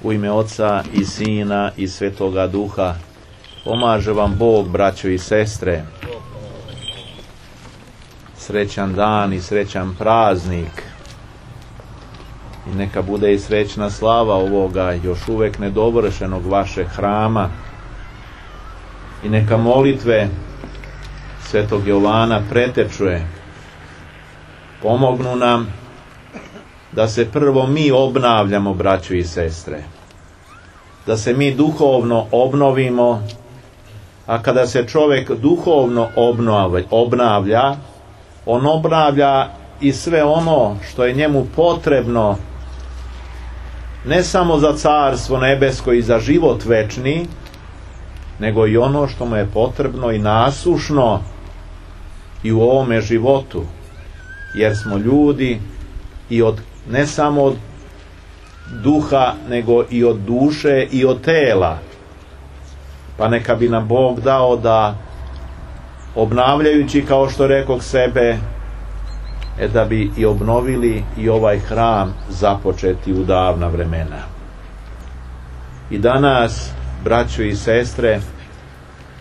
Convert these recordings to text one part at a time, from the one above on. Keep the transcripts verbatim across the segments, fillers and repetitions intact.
U ime Oca i Sina i Svetoga Duha. Pomaže vam Bog, braćo i sestre. Srećan dan i srećan praznik. I neka bude i srećna slava ovoga još uvek nedovršenog vašeg hrama. I neka molitve Svetog Jovana pretečuje. Pomognu nam da se prvo mi obnavljamo, braćo i sestre. Da se mi duhovno obnovimo, a kada se čovjek duhovno obnavlja, on obnavlja i sve ono što je njemu potrebno, ne samo za carstvo nebesko i za život večni, nego i ono što mu je potrebno i nasušno i u ovome životu, jer smo ljudi i od, ne samo od duha, nego i od duše i od tela. Pa neka bi nam Bog dao da, obnavljajući, kao što rekoh, sebe, e da bi i obnovili i ovaj hram započeti u davna vremena. I danas, braćo i sestre,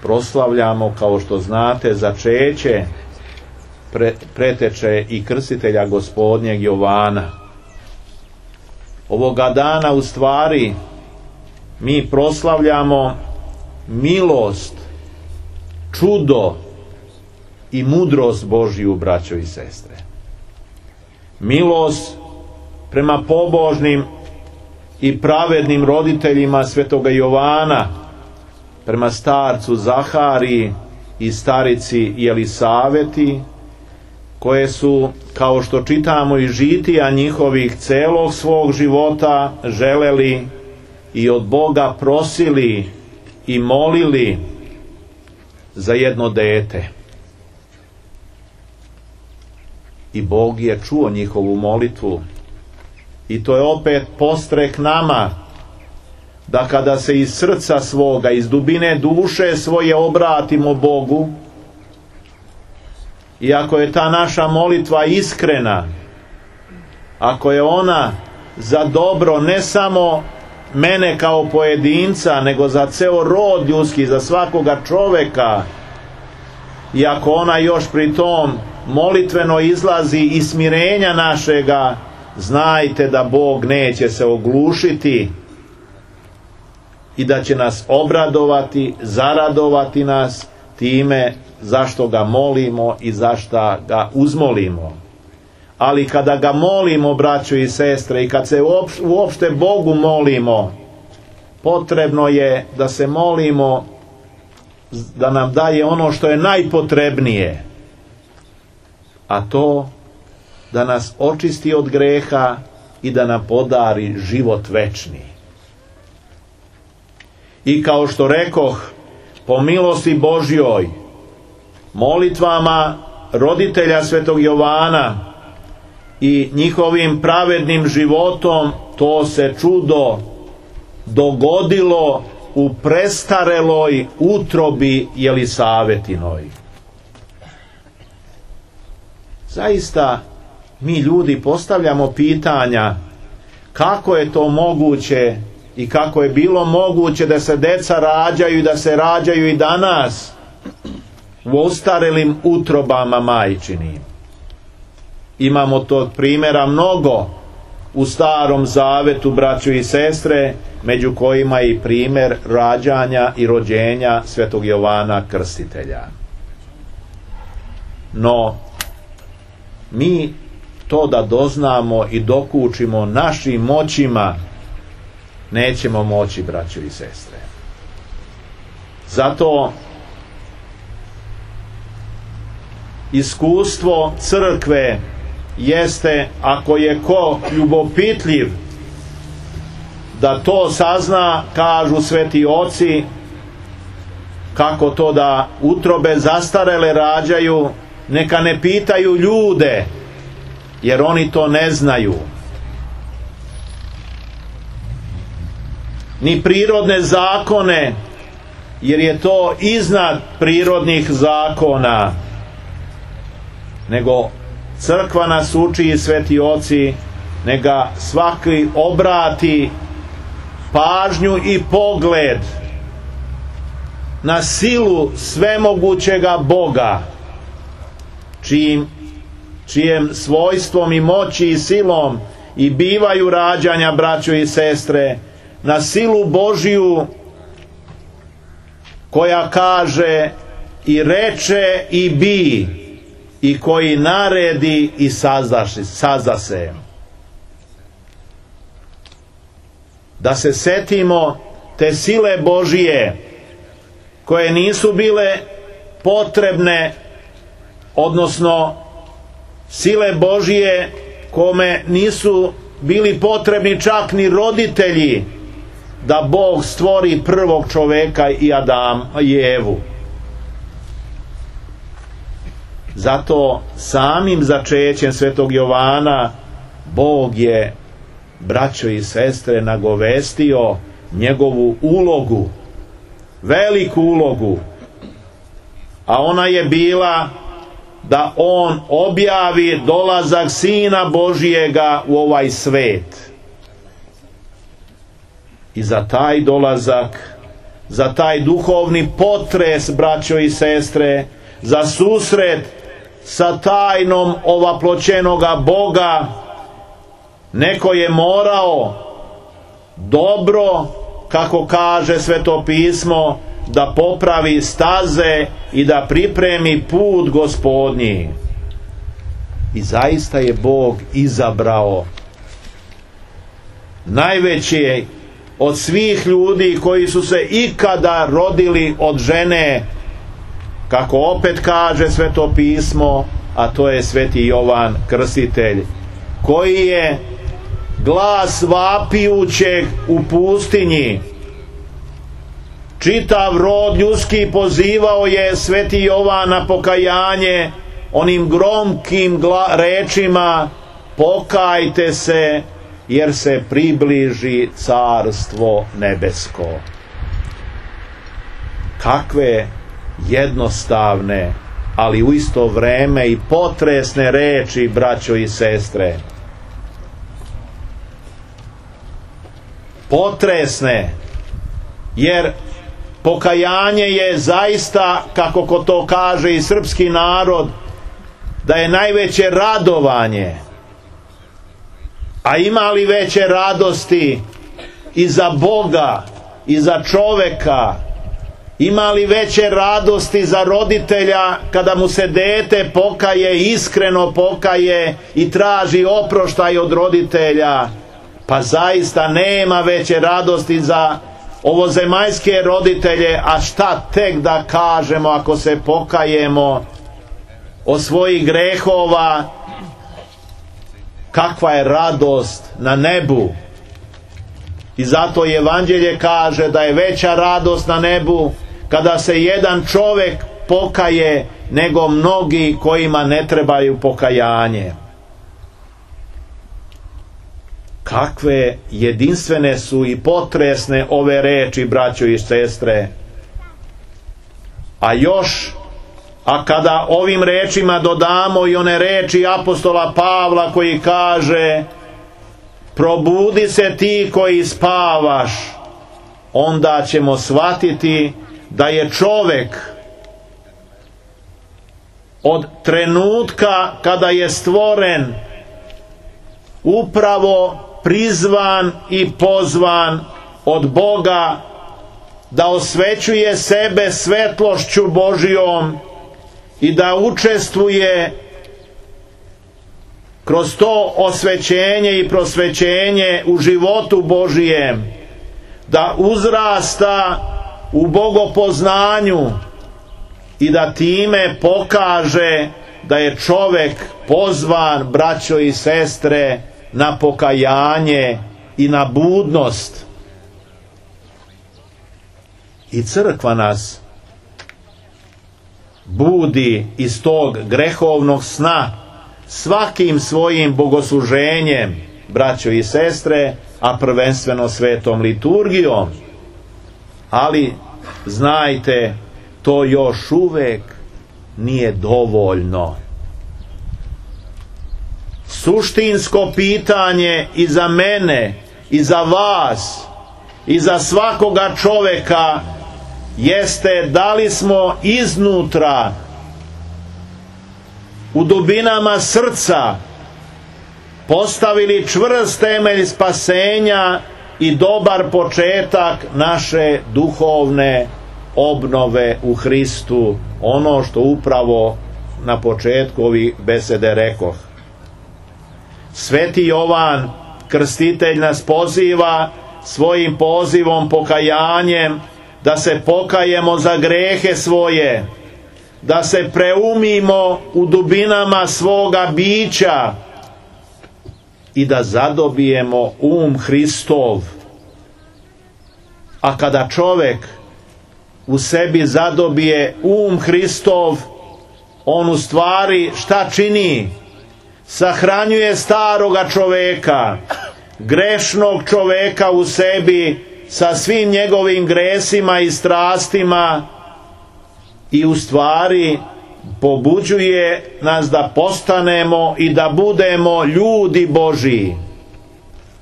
proslavljamo, kao što znate, začeće pre, preteče i krstitelja Gospodnjeg Jovana. Ovoga dana u stvari mi proslavljamo milost, čudo i mudrost Božju, braćo i sestre. Milost prema pobožnim i pravednim roditeljima Svetoga Jovana, prema starcu Zahariji i starici Jelisaveti, koje su, kao što čitamo iz žitija njihovih, celog svog života želeli i od Boga prosili i molili za jedno dete. I Bog je čuo njihovu molitvu. I to je opet postrek nama, da kada se iz srca svoga, iz dubine duše svoje obratimo Bogu, i ako je ta naša molitva iskrena, ako je ona za dobro ne samo mene kao pojedinca, nego za ceo rod ljudski, za svakoga čoveka, i ako ona još pri tom molitveno izlazi iz smirenja našega, znajte da Bog neće se oglušiti i da će nas obradovati, zaradovati nas time zašto ga molimo i zašto ga uzmolimo. Ali kada ga molimo, braćo i sestre, i kad se uopšte Bogu molimo, potrebno je da se molimo da nam daje ono što je najpotrebnije, a to da nas očisti od greha i da nam podari život večni. I kao što rekoh, po milosti Božjoj, molitvama roditelja Svetog Jovana i njihovim pravednim životom, to se čudo dogodilo u prestareloj utrobi Jelisavetinoj. Zaista mi ljudi postavljamo pitanja kako je to moguće i kako je bilo moguće da se deca rađaju i da se rađaju i danas u ostarelim utrobama majčinim. Imamo tog primjera mnogo u Starom Zavetu, braćo i sestre, među kojima je i primjer rađanja i rođenja Svetog Jovana Krstitelja. No, mi to da doznamo i dokučimo našim moćima nećemo moći, braćo i sestre. Zato iskustvo crkve jeste, ako je ko ljubopitljiv da to sazna, kažu sveti oci, kako to da utrobe zastarele rađaju, neka ne pitaju ljude, jer oni to ne znaju. Ni prirodne zakone, jer je to iznad prirodnih zakona, nego crkva nas uči i sveti oci, neka svaki obrati pažnju i pogled na silu svemogućega Boga, čijim, čijem svojstvom i moći i silom i bivaju rađanja, braćo i sestre, na silu Božiju koja kaže i reče i bi, i koji naredi i sazase. Da se setimo te sile Božije koje nisu bile potrebne, odnosno sile Božije kome nisu bili potrebni čak ni roditelji da Bog stvori prvog čoveka i Adam i Evu. Zato samim začećem svetog Jovana Bog je, braćo i sestre, nagovestio njegovu ulogu, veliku ulogu, a ona je bila da on objavi dolazak Sina Božijega u ovaj svet. I za taj dolazak, za taj duhovni potres, braćo i sestre, za susret sa tajnom ovaploćenoga Boga, neko je morao dobro, kako kaže Sveto pismo, da popravi staze i da pripremi put Gospodnji. I zaista je Bog izabrao najveće od svih ljudi koji su se ikada rodili od žene, kako opet kaže Sveto pismo, a to je Sveti Jovan Krstitelj, koji je glas vapijućeg u pustinji. Čitav rod ljudski pozivao je Sveti Jovan na pokajanje onim gromkim gla- rečima: pokajte se, jer se približi carstvo nebesko. Kakve jednostavne, ali u isto vreme i potresne reči, braćo i sestre. Potresne, jer pokajanje je zaista, kako ko to kaže i srpski narod, da je najveće radovanje. A ima li veće radosti i za Boga i za čoveka? Ima li veće radosti za roditelja kada mu se dete pokaje, iskreno pokaje i traži oproštaj od roditelja? Pa zaista nema veće radosti za ovozemaljske roditelje, a šta tek da kažemo ako se pokajemo od svojih grehova, kakva je radost na nebu. I zato Evanđelje kaže da je veća radost na nebu kada se jedan čovjek pokaje nego mnogi kojima ne trebaju pokajanje. Kakve jedinstvene su i potresne ove reči, braćo i sestre. A još, a kada ovim rečima dodamo i one reči apostola Pavla koji kaže: probudi se ti koji spavaš, onda ćemo shvatiti da je čovjek od trenutka kada je stvoren upravo prizvan i pozvan od Boga da osvećuje sebe svetlošću Božijom i da učestvuje kroz to osvećenje i prosvećenje u životu Božijem, da uzrasta u bogopoznanju i da time pokaže da je čovjek pozvan, braćo i sestre, na pokajanje i na budnost. I crkva nas budi iz tog grehovnog sna svakim svojim bogosluženjem, braćo i sestre, a prvenstveno svetom liturgijom. Ali znajte, to još uvek nije dovoljno. Suštinsko pitanje i za mene i za vas i za svakoga čoveka jeste da li smo iznutra u dubinama srca postavili čvrst temelj spasenja i dobar početak naše duhovne obnove u Hristu, ono što upravo na početku ovih besede rekoh. Sveti Jovan Krstitelj nas poziva svojim pozivom, pokajanjem, da se pokajemo za grehe svoje, da se preumimo u dubinama svoga bića i da zadobijemo um Hristov. A kada čovjek u sebi zadobije um Hristov, on u stvari šta čini? Sahranjuje staroga čoveka, grešnog čoveka u sebi sa svim njegovim gresima i strastima i u stvari pobuđuje nas da postanemo i da budemo ljudi Božji.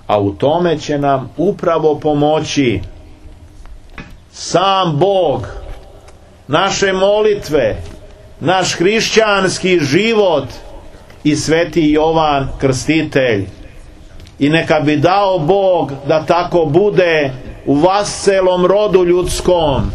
A u tome će nam upravo pomoći sam Bog, naše molitve, naš hrišćanski život i sveti Jovan Krstitelj. I neka bi dao Bog da tako bude u vas celom rodu ljudskom,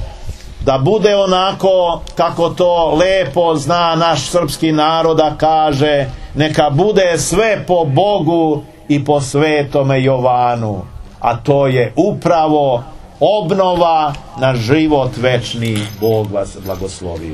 da bude onako kako to lepo zna naš srpski narod da kaže, neka bude sve po Bogu i po svetome Jovanu, a to je upravo obnova na život večni. Bog vas blagoslovio.